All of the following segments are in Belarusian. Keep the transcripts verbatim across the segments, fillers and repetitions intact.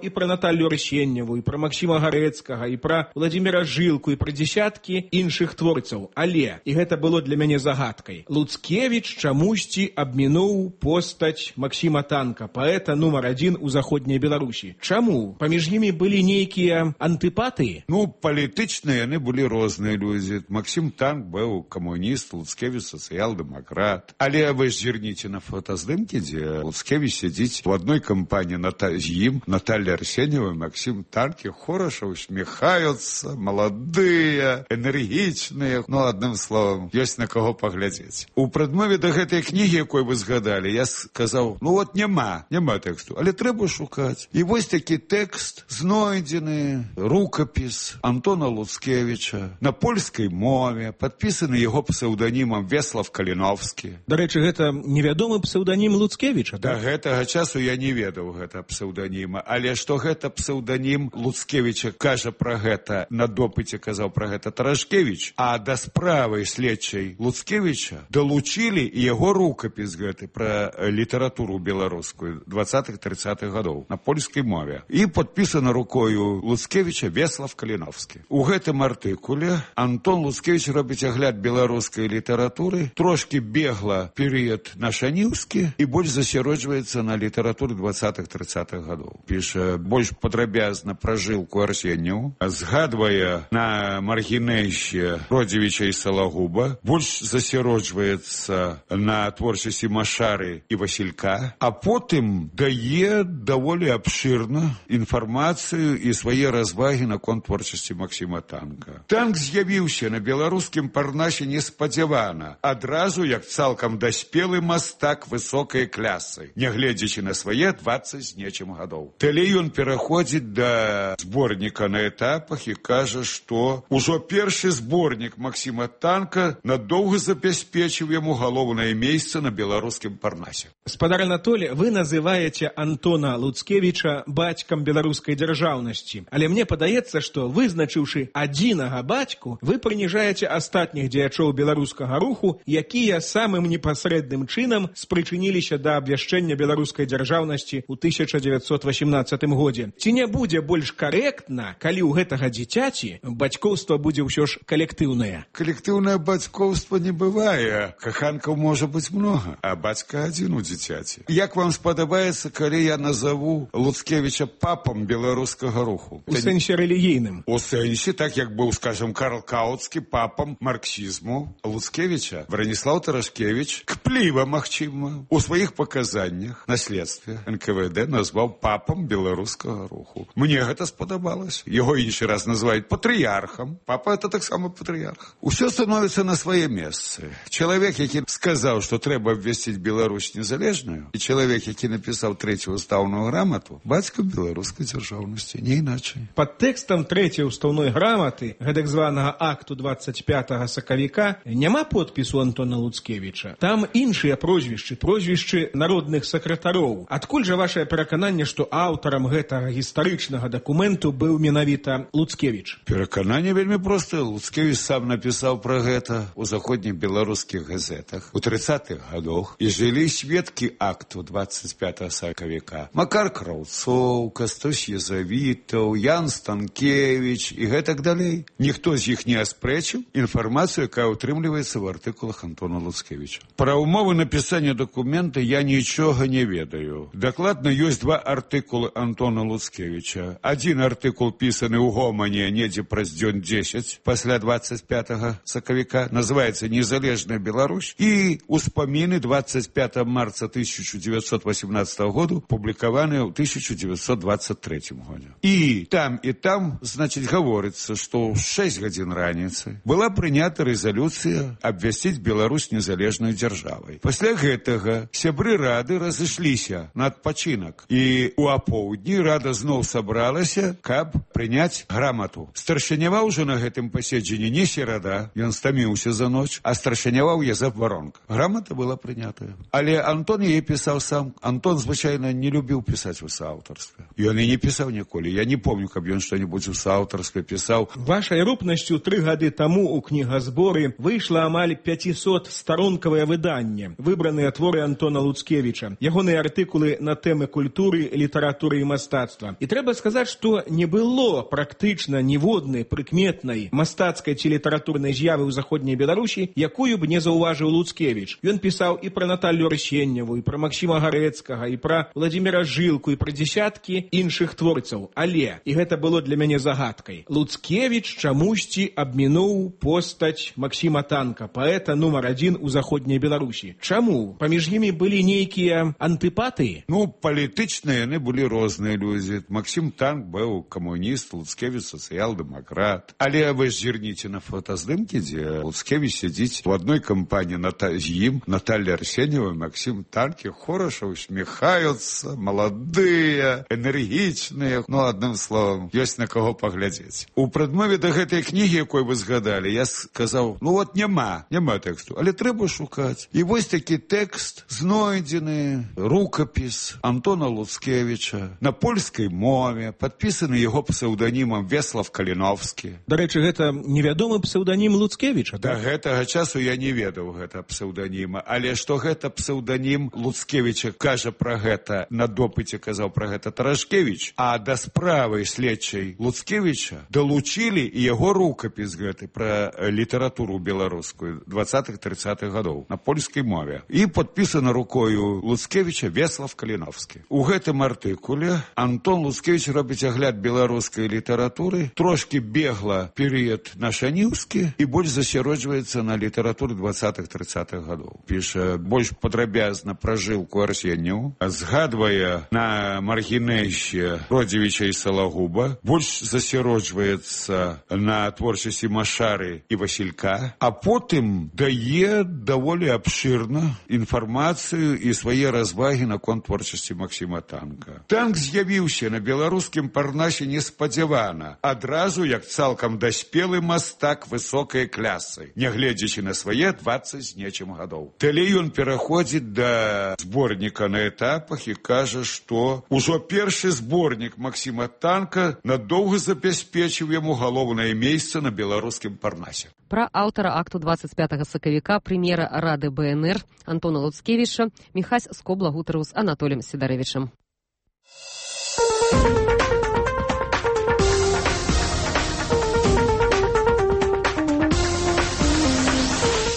і пра Наталью Арсеньеву, і пра Максіма Гарэцкага, і пра Владзіміра Жылку, і пра дзесяткі іншых творцаў. Але, і гэта было для мяне загадкай, Луцкевіч чамусьці абмінуў постаць Максіма Танка, паэта нумар адзін у заходняй Беларусі. Чаму? Паміж імі былі нейкія антыпатыі? Ну, палітычныя яны былі розныя людзі. Максім Танк быў камуніст, Луцкевіч сацыял-дэмакрат. Але вы ж зірніце на фотаздымкі, дзе Луцкевіч сядзіць у адной кампаніі з ім, Наталья Арсеньева, Максим Танки, хорошо усмехаются, молодые, энергичные. Ну, одним словом, есть на кого поглядеть. У прадмове да гэтай кнігі, якой вы згадали, я сказаў, ну вот няма, няма тэксту, але трэба шукаць. І вось такі тэкст знойдзены, рукапіс Антона Луцкевича на польскай мове, падпісаны яго псеўданімам Веслав Каліновскі. Дарэчы, гэта невядомы псеўданім Луцкевича, да? Да гэтага часу я не ведаў гэта псеўданіма, але што гэта псеўданім Луцкевіча, кажа пра гэта, на допыце казаў пра гэта Тарашкевіч, а да справы следчай Луцкевіча далучілі яго рукапіс гэты пра літаратуру беларускую двадцатых-трыццатых гадоў на польскай мове. І падпісана рукою Луцкевіча Веслав Каліновскі. У гэтым артыкуле Антон Луцкевіч робіць агляд беларускай літаратуры, трошки бегла перыяд нашаніўскі і больш засяроджваецца на літаратуры двадцатых-трыццатых гадоў. Піша больш падрабязна пра Жылку Арсеньеву, згадвае на маргінэйще Родзівіча і Салагуба, больш засяроджваецца на творчасці Машары і Васілька, а потым дае даволі абшырна інфармацыю і свае развагі наконт творчасці Максіма Танка. Танк з'явіўся на беларускім парнасе неспадзявана, адразу як цалкам даспелы мастак высокай клясы, нягледзячы на свае дваццаць з нечым гадоў. Далей ён пераходзіць да зборніка на этапах і кажа, што ўжо першы зборнік Максіма Танка надоўга забяспечыў яму галоўнае месца на беларускім парнасе. Спадар Анатолий, вы называете Антона Луцкевича бацькам беларускай дзяржаўнасці. Але мне падаецца, што вызначыўшы адзінага бацьку, вы прыніжаеце астатніх дзеячоў беларускага руху, якія самым непасрэдным чынам спрычыніліся да абвяшчэння беларускай дзяржаўнасці ў тысяча дзевяцьсот васямнаццатым годзе. Ці не будзе больш карэктна, калі ў гэтага дзіцяці бацькоўства будзе ўсё ж калектыўнае? Калектыўнае бацькоўства не бывае. Каханкаў можа быць многа, а бацька адзін у дзіцяці. Як вам спадабаецца, калі я назову Луцкевіча папам беларускага руху? У сэнсе рэлігійным. У сэнсе, так як быў, скажем, Карл Каутскі папам марксізму, Луцкевіча Браніслаў Тарашкевіч кпліва, магчыма, у сваіх паказаннях на следстве эн ка вэ дэ назваў папам беларускага руху. Мне гэта спадабалася. Яго іншы раз называюць патрыярхам. Папа это таксама патрыярх. Усё становіцца на свае месцы. Чалавек, які сказаў, што трэба абвясціць Беларусь незалежную, і чалавек, які напісаў трэцюю устаўную грамату, бацька беларускай дзяржаўнасці, не іначай. Пад тэкстам трэцяй устаўной граматы, гэтак званага акту дваццаць пятага сакавіка, няма подпісу Антона Луцкевіча. Там іншыя прозвішчы, прозвішчы народных сакратароў. Адкуль жа вашае перакананне, што аўтарам гэтага гістарычнага дакументу быў менавіта Луцкевіч? Перакананне вельмі простае. Луцкевіч сам напісаў пра гэта ў заходніх беларускіх газетах у трыццатых гадах, і жылі сведкі акту двадцать пятого сакавіка. Макар Краўцоў, Кастусь Езавітаў, Ян Станкевич і гэтак далей. Ніхто з іх не аспрэчыў інфармацыю, якая ўтрымліваецца ў артыкулах Антона Луцкевіча. Пра ўмовы напісання дакумента я нічога не ведаю. Дакладна ёсць два артыкулы Антона Луцкевіча. Адзін артыкул пісаны ў Гомане недзе праз дзён дзесяць пасля двадцать пятого сакавіка, называецца «Незалежная Беларусь», і успаміны двадцать пятого марта тысяча девятьсот восемнадцатого году публікаваныя ў тысяча девятьсот двадцать третьем годзе. І там і там, значыць, гаворыцца, што ў шэсць гадзін раніцы была прынята рэзалюцыя абвясціць Беларусь незалежнай дзяржавай. Пасля гэтага сябры рады разышліся на адпачынак, і ў апоўдні рада зноў сабралася, каб прыняць грамату. Старшыняваў уже на гэтым паседжанні не серада, ён стаміўся за ноч, а старшыняваў Язэп Варонка. Грамата была прынятая. Але Антон яе пісаў сам. Антон, звычайна, не любіў пісаць у сааўтарстве. Ён і не пісаў ніколі. Я не помню, каб ён што-небудзь у сааўтарстве пісаў. Вашай рупнасцю тры гады таму ў кнігазборы выйшла амаль пяцісот старонкавае выданне, выбраныя творы Антона Луцкевіча. Ягоныя артыкулы на тэмы культуры, літаратуры і мастацтва. І трэба сказаць, што не было практычна ніводнай прыкметнай мастацкай ці літаратурнай з'явы ў заходняй Беларусі, якую б не заўважыў Луцкевіч. Ён пісаў і пра Наталлю Арсеньеву, і пра Максіма Гарэцкага, і пра Владзіміра Жылку, і пра дзесяткі іншых творцаў. Але, і гэта было для мяне загадкай, Луцкевіч чамусьці абмінуў постаць Максіма Танка, паэта нумар адзін у заходняй Беларусі. Чаму? Паміж імі былі нейкія антыпатыі? Ну, палітычныя яны былі розныя людзі. Максім Танк быў камуніст, Луцкевіч сацыял-дэмакрат. Але вы зірніце на фотаздымкі, дзе Луцкевіч сядзіць у адной кампаніі з ім, Наталля Арсеньева, Максім Танкі, хораша усміхаюцца, маладыя, энергічныя. Ну, адным словам, ёсць на каго паглядзець. У прадмове да гэтай кнігі, якой вы згадалі, я сказаў, ну вот няма, няма тэксту, але трэба шукаць. І вось такі тэкст знойдзены, рукапіс Антона Луцкевіча на польскай мове, падпісаны яго псеўданімам Веслав Каліновскі. Дарэчы, гэта невядомы псеўданім Луцкевіча, да? Да Гэтага часу я не ведаў гэта псеўданіма, але што гэта псеўданім Луцкевіча, кажа пра гэта, на допыце казаў пра гэта Тарашкевіч, а да справы следчай Луцкевіча далучілі і яго рукапіс гэты пра літаратуру беларускую двадцатых-трыццатых гадоў на польскай мове. І падпісана рукою Луцкевіча Веслав Каліновскі. У гэтым артыкуле Антон Луцкевіч робіць агляд беларускай літаратуры, трошкі бегла перыяд нашаніўскі і больш засяроджваецца на літаратуры двадцатых-трыццатых гадоў. Піша больш падрабязна пра Жылку Арсеньеву, згадвае на маргінэйще Родзівіча і Салагуба, больш засяроджваецца на творчасці Машары і Васілька, а потым дае даволі абшырна інфармацыю і свае развагі наконт творчасці Максіма Танка. Танк з'явіўся на беларускім парнасе неспадзявана, адразу як цалкам даспелы мастак высокай клясы, нягледзячы на свае дваццаць з нечым гадоў. Далей ён пераходзіць да зборніка на этапах і кажа, што ўжо першы зборнік Максіма Танка надоўга забяспечыў яму галоўнае месца на беларускім парнасе. Пра аўтара акту двадцать пятага сакавіка прэм'ера Рады БНР Антона Луцкевіча Міхась Скобла гутарыў з Анатоліем Сідарэвічам.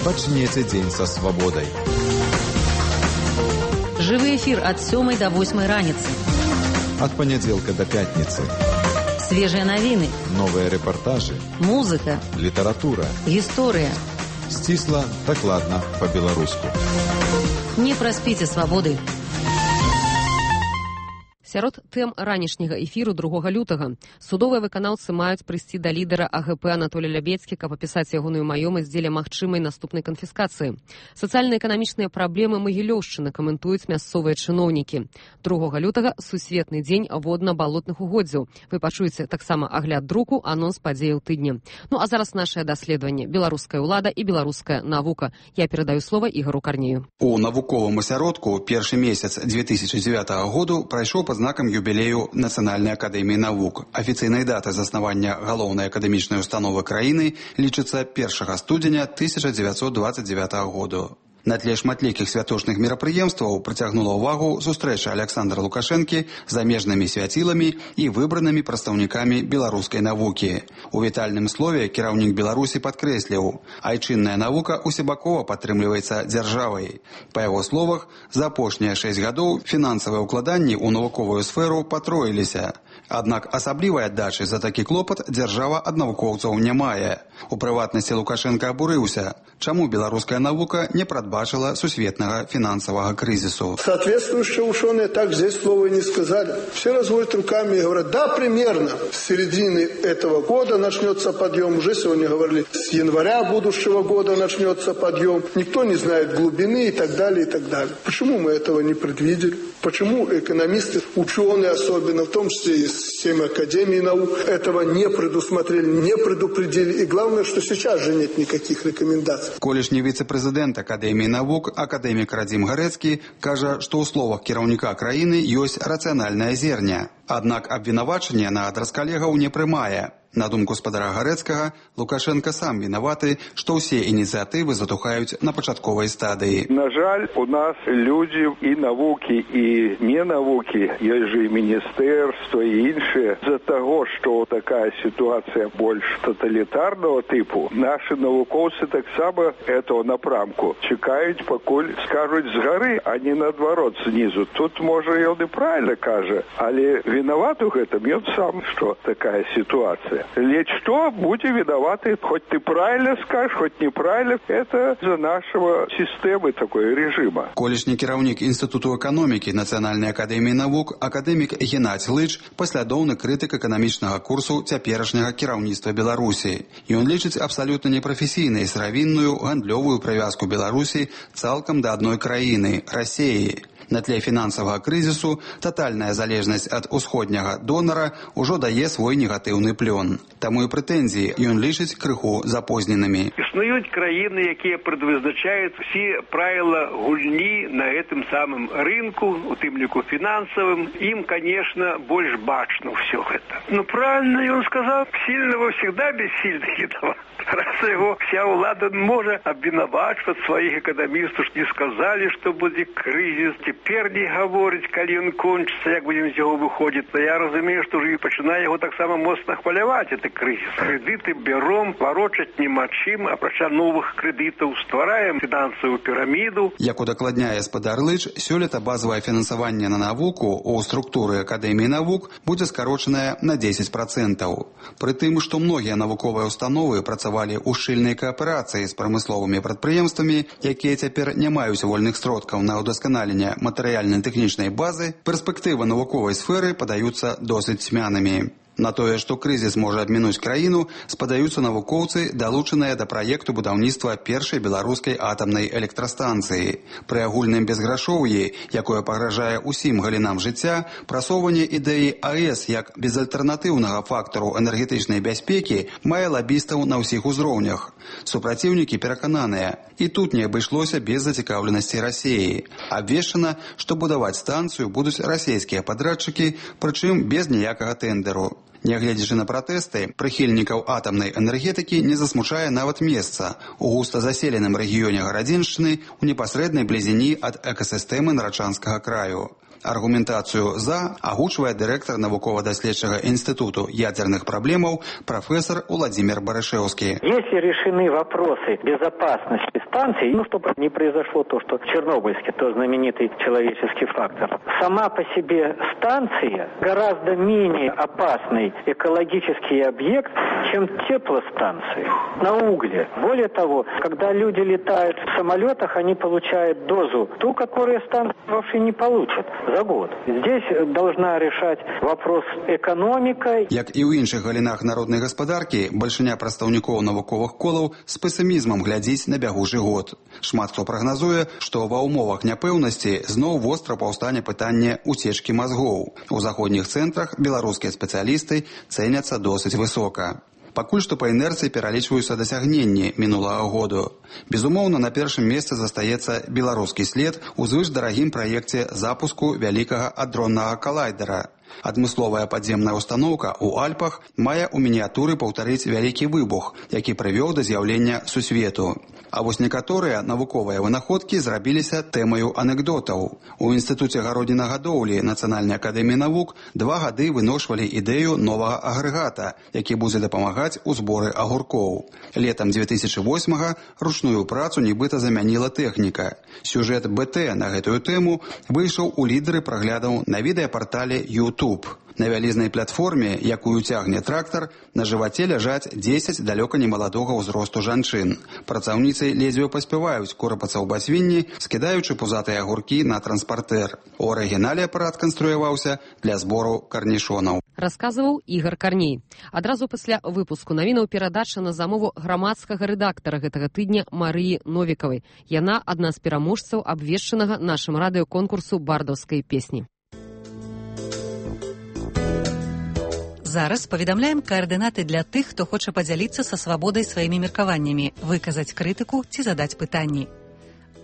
Пачнеце дзень са свабодай. Жывы эфір ад сёмай да восьмай раніцы. Ад панядзелка да пятніцы. Свежыя навіны. Новыя рэпартажы. Музыка. Літаратура. Гісторыя. Сцісла, дакладна, па-беларуску. Не праспіце свабоды. Сярод тэм ранішняга эфіру другога лютага судовыя выканаўцы маюць прыйсці да лідара АГП Анатолія Лябедзькі, каб апісаць ягоную маёмасць дзеля магчымай наступнай канфіскацыі. Сацыяльна-эканамічныя праблемы Магілёўшчыны каментуюць мясцовыя чыноўнікі. другога лютага сусветны дзень водна-балотных угоддзяў. Вы пачуеце таксама агляд друку, анонс падзеяў тыдня. Ну а зараз нашае даследаванне «Беларуская ўлада і беларуская навука». Я перадаю слова Ігору Карнею. У навуковым асяродку першы месяц две тысячи девятого году прайшоў пад знакам юбілею Нацыянальнай акадэміі навук. Афіцыйнай датай заснавання галоўнай акадэмічнай установы краіны лічыцца першага студзеня тысяча дзевяцьсот двадцать девятого году. На тле шматлікіх святочных мерапрыемстваў прыцягнула ўвагу сустрэча Аляксандра Лукашэнкі з замежнымі свяціламі і выбранымі прадстаўнікамі беларускай навукі. У вітальным слове кіраўнік Беларусі падкрэсліў, айчынная навука усебакова падтрымліваецца дзяржавай. Па яго словах, за апошнія шэсць гадоў фінансавыя ўкладанні ў навуковую сферу патроіліся. Аднак асаблівай аддачы за такі клопат дзяржава ад навукоўцаў не мае. У прыватнасці Лукашенко абурыўся, чаму беларуская навука не прадбачила сусветного финансового кризису. Соответствующие ученые так здесь слова не сказали. Все разводят руками и говорят, да, примерно с середины этого года начнется подъем. Уже сегодня говорили, с января будущего года начнется подъем. Никто не знает глубины и так далее, и так далее. Почему мы этого не предвидели? Почему экономисты, ученые особенно, в том числе и системы Академии наук, этого не предусмотрели, не предупредили. И главное, что сейчас же нет никаких рекомендаций. Колішні віцэ-прэзідэнт Акадэміі навук, акадэмік Радзім Гарэцкі, кажа, што ў словах кіраўніка краіны ёсць рацыянальная зерня. Аднак абвінавачанне на адрас калегаў не прымае. На думку спадара Гарэцкага, Лукашенко сам вінаваты, што ўсе ініцыятывы затухаюць на пачатковай стадыі. На жаль, у нас людзі і навукі, і не навукі, ёсць жа і міністэрства, і іншыя. З-за таго, што такая сітуацыя больш тоталітарнага тыпу, нашы навукоўцы таксама этого напрамку чакаюць, пакуль скажуць з гары, а не наадварот знізу. Тут, можа, ён і правильно кажа, але вінаваты ў гэтым ён сам, што такая сітуацыя. Ледь что, будь виноваты, хоть ты правильно скажешь, хоть неправильно, это за нашего системы такой режима. Колішні кіраўнік Інстытуту эканомікі Нацыянальнай акадэміі навук, акадэмік Геннадзь Лыч, паслядоўны крытык эканамічнага курсу цяперашняга кіраўніцтва Беларусі. Ён лічыць абсалютна непрафесійнай сыравінную гандлёвую прывязку Беларусі цалкам да адной краіны – Расіі. На тле фінансавага крызісу татальная залежнасць ад усходняга донара ўжо дае свой негатыўны плён. Таму і прэтэнзіі ён лічыць крыху запозненымі. Існуюць краіны, якія прадвызначаюць все правила гульні на гэтым самым рынку, у тым ліку фінансавым. Ім, конечно, больш бачна ўсё гэта. Ну, правильно ён сказал, сильного всегда бессильных едва. Раз его вся ўлада можа абвінавачваць сваіх эканамістаў, што не сказалі, што будзе крызіс. Цяпер не гаворыць, калі ён кончыцца, як будзем з яго выходзіць. То я разумею, што ўжо і пачынае яго таксама моцна хваляваць, гэты крызіс. Крэдыты бяром, варочаць няма чым, апрача новых крэдытаў ствараем фінансавую піраміду. Як удакладняе спадар Лыч, сёлета базавае фінансаванне на навуку ў структуры Акадэміі навук будзе скарочанае на дзесяць працэнтаў. Пры тым, што многія навуковыя установы працавалі ў шчыльнай кааперацыі з прамысловымі прадпрыемствамі, якія цяпер не маюць вольных сродкаў на ўдасканаленне матэрыяльна-тэхнічнай базы, перспектывы навуковай сферы падаюцца досыць цьмянымі. На тое, што крызіс можа абмінуць краіну, спадаюцца навукоўцы, далучаныя да праекту будаўніцтва першай беларускай атамнай электрастанцыі. Пры агульным безграшоўі, якое пагражае ўсім галінам жыцця, прасоўванне ідэі АЭС як безальтэрнатыўнага фактару энергетычнай бяспекі мае лабістаў на ўсіх узроўнях. Супраціўнікі перакананыя, і тут не абышлося без зацікаўленасці Расіі. Абвешчана, што будаваць станцыю будуць расійскія падрадчыкі, прычым без ніякага тэндэру. Нягледзячы на пратэсты, прыхільнікаў атамнай энергетыкі не засмучае нават месца у густа заселеным рэгіёне Гарадзеншчыны ў непасрэднай блізіні ад экасістэмы Нарачанскага краю. Аргументацию «за» агучвае директор навукова-доследчага институту ядерных проблемов профессор Владимир Барышевский. Если решены вопросы безопасности станций, ну, чтобы не произошло то, что в Чернобыльске, то знаменитый человеческий фактор, сама по себе станция гораздо менее опасный экологический объект, чем теплостанции на угле. Более того, когда люди летают в самолетах, они получают дозу, ту, которую станция вообще не получит за год. Здесь должна решать вопрос экономика. Як і ў іншых галінах народнай гаспадаркі, бальшыня прадстаўнікоў навуковых колаў з песімізмам глядзіць на бягучы год. Шмат хто прагназуе, што ва ўмовах няпэўнасці зноў востра паўстане пытанне уцечкі мазгоў. У заходніх цэнтрах беларускія спецыялісты цэняцца досыць высока. Пакуль што па інерцыі пералічваюцца дасягненні мінулага году. Безумоўна, на першым месцы застаецца беларускі след у звышдарагім праекце запуску вялікага адроннага калайдера. Адмысловая падземная установка ў Альпах мае ў мініятуры паўтарыць вялікі выбух, які прывёў да з'яўлення сусвету. А вось некаторыя навуковыя вынаходкі зрабіліся тэмаю анекдотаў. У Інстытуце гароднінагадоўлі Нацыянальнай акадэміі навук два гады выношвалі ідэю новага агрэгата, які будзе дапамагаць у зборы агуркоў. Летам дзве тысячы восьмага ручную працу нібыта замяніла тэхніка. Сюжэт БТ на гэтую тэму выйшаў у лідары праглядаў на відэапартале YouTube. На вялізнай платформе, якую цягне трактар, на жываце ляжаць дзесяць далёка немаладога ўзросту жанчын. Працаўніцы ледзьве паспяваюць корапацца ў басвінні, скідаючы пузатыя агуркі на транспартэр. У арыгінале апарат канструяваўся для збору карнішонаў. Расказваў Ігар Карней. Адразу пасля выпуску навінаў перадача на замову грамадскага рэдактара гэтага тыдня Марыі Новікавай. Яна адна з пераможцаў абвешчанага нашым радыёконкурсу бардаўскай песні. Зараз паведамляем каардынаты для тых, хто хоча падзяліцца са свабодай сваімі меркаваннямі, выказаць крытыку ці задаць пытанні.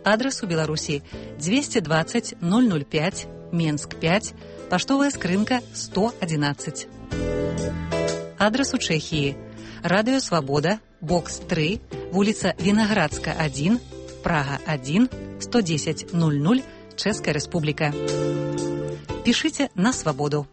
Адрас у Беларусі двести двадцать ноль ноль пять, Менск пять, паштовая скрынка сто одиннадцать. Адрас у Чэхіі. Радыё Свабода, бокс тры, вуліца Вінаградска адзін, Прага адзін, сто дзесяць нуль нуль, Чэшская Рэспубліка. Пішыце на Свабоду.